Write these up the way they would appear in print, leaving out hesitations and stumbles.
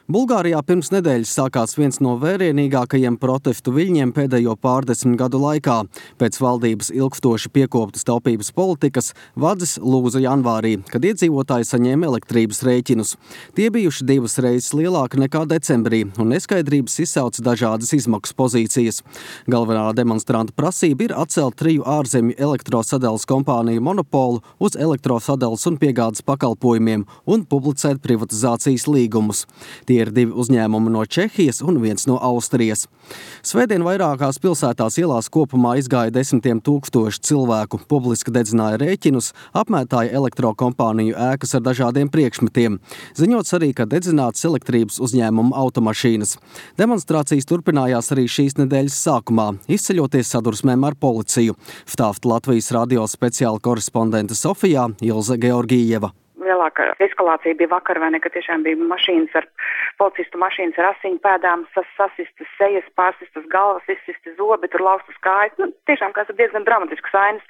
Bulgārijā pirms nedēļas sākās viens no vērienīgākajiem protestu viļņiem pēdējo pārdesmit gadu laikā. Pēc valdības ilgstoši piekoptas taupības politikas vadzis lūza janvārī, kad iedzīvotāji saņēma elektrības rēķinus. Tie bijuši 2 reizes lielāki nekā decembrī, un neskaidrības izsauca dažādas izmaksu pozīcijas. Galvenā demonstranta prasība ir atcelt 3 ārzemju elektrosadales kompāniju monopolu uz elektrosadales un piegādes pakalpojumiem un publicēt privatizācijas līgumus. Tie ir 2 uzņēmumi no Čehijas un 1 no Austrijas. Svētdien vairākās pilsētās ielās kopumā izgāja 10 000 cilvēku, publiski dedzināja rēķinus, apmētāja elektrokompāniju ēkas ar dažādiem priekšmetiem. Ziņots arī, ka dedzināts elektrības uzņēmumu automašīnas. Demonstrācijas turpinājās arī šīs nedēļas sākumā, izceļoties sadursmēm ar policiju. Vtāft Latvijas radio speciāla korespondente Sofijā Ilze Georgijeva. Lielākā eskalācija bija vakar, vai ne, ka tiešām bija policistu mašīnas ar asiņu pēdām, sasistas sejas, pārsistas galvas, izsistas zobi, tur laustas kājas. Tiešām kāds diezgan dramatisks ainas.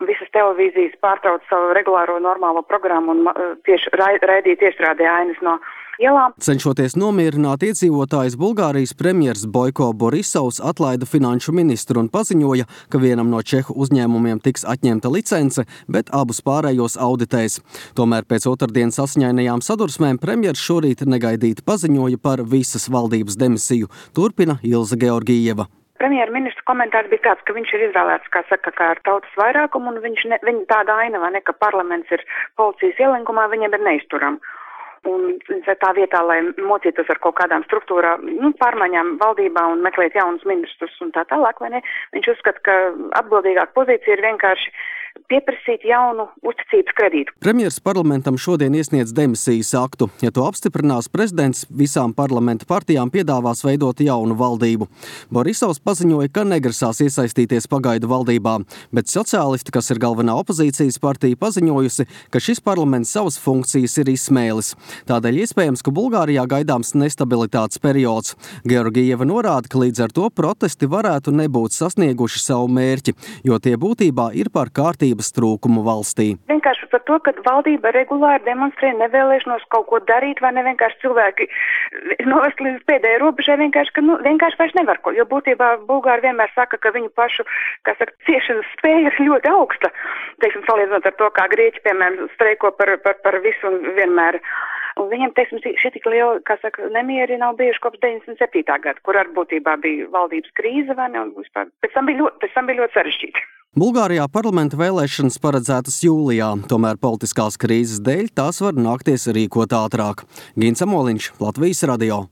Visas televīzijas pārtrauc savu regulāro normālo programmu un raidīja tiešrādē ainas no ielām. Cenšoties nomierināt iedzīvotājus, Bulgārijas premjers Boiko Borisovs atlaida finanšu ministru un paziņoja, ka vienam no čehu uzņēmumiem tiks atņemta licence, bet abus pārējos auditēs. Tomēr pēc otrdienas asiņainajām sadursmēm premjers šorīt negaidīti paziņoja par visas valdības demisiju. Turpina Ilze Georgijeva. Premjerministra komentārs bija tāds, ka viņš ir izvēlēts, kā ar tautas vairākumu, un viņa tāda aina, vai ne, ka parlaments ir policijas ielenkumā, viņiem ir neizturama. Un tā vietā, lai mocītos ar kaut kādām struktūrām, pārmaiņām valdībā un meklēt jaunus ministrus un tā tālāk, vai ne, viņš uzskata, ka atbildīgāka pozīcija ir vienkārši pieprasīt jaunu uzticības kredītu. Premjers parlamentam šodien iesniedz demisijas aktu. Ja to apstiprinās prezidents, visām parlamenta partijām piedāvās veidot jaunu valdību. Borisovs paziņoja, ka negrasās iesaistīties pagaidu valdībā, bet sociālisti, kas ir galvenā opozīcijas partija, paziņojusi, ka šis parlaments savas funkcijas ir izsmēlis. Tādēļ iespējams, ka Bulgārijā gaidāms nestabilitātes periods. Georgijeva norāda, ka līdz ar to protesti varētu nebūt sasnieguši savu mērķi, jo tie būtībā ir par kārtības trūkumu valstī. Vienkārši par to, ka valdība regulāri demonstrē nevēlēšanos kaut ko darīt, vai ne vienkārši cilvēki novest līdz pēdējai robežai, vienkārši vairs nevar ko, jo būtībā Bulgāri vienmēr saka, ka viņu pašu, ciešanas spēja ir ļoti augsta. Teiksim, salīdzinot ar to, kā grieķi, piemēram, streiko par visu un vienmēr. Un viņiem, šie tik lieli, nemieri nav bijuši kopš 97. gada, kur ar būtībā bija valdības krīze, vai ne, un vispār pēc tam bija ļoti sarežģīti. Bulgārijā parlamenta vēlēšanas paredzētas jūlijā, tomēr politiskās krīzes dēļ tās var nākties rīkot ātrāk. Gins Amoliņš, Latvijas radio.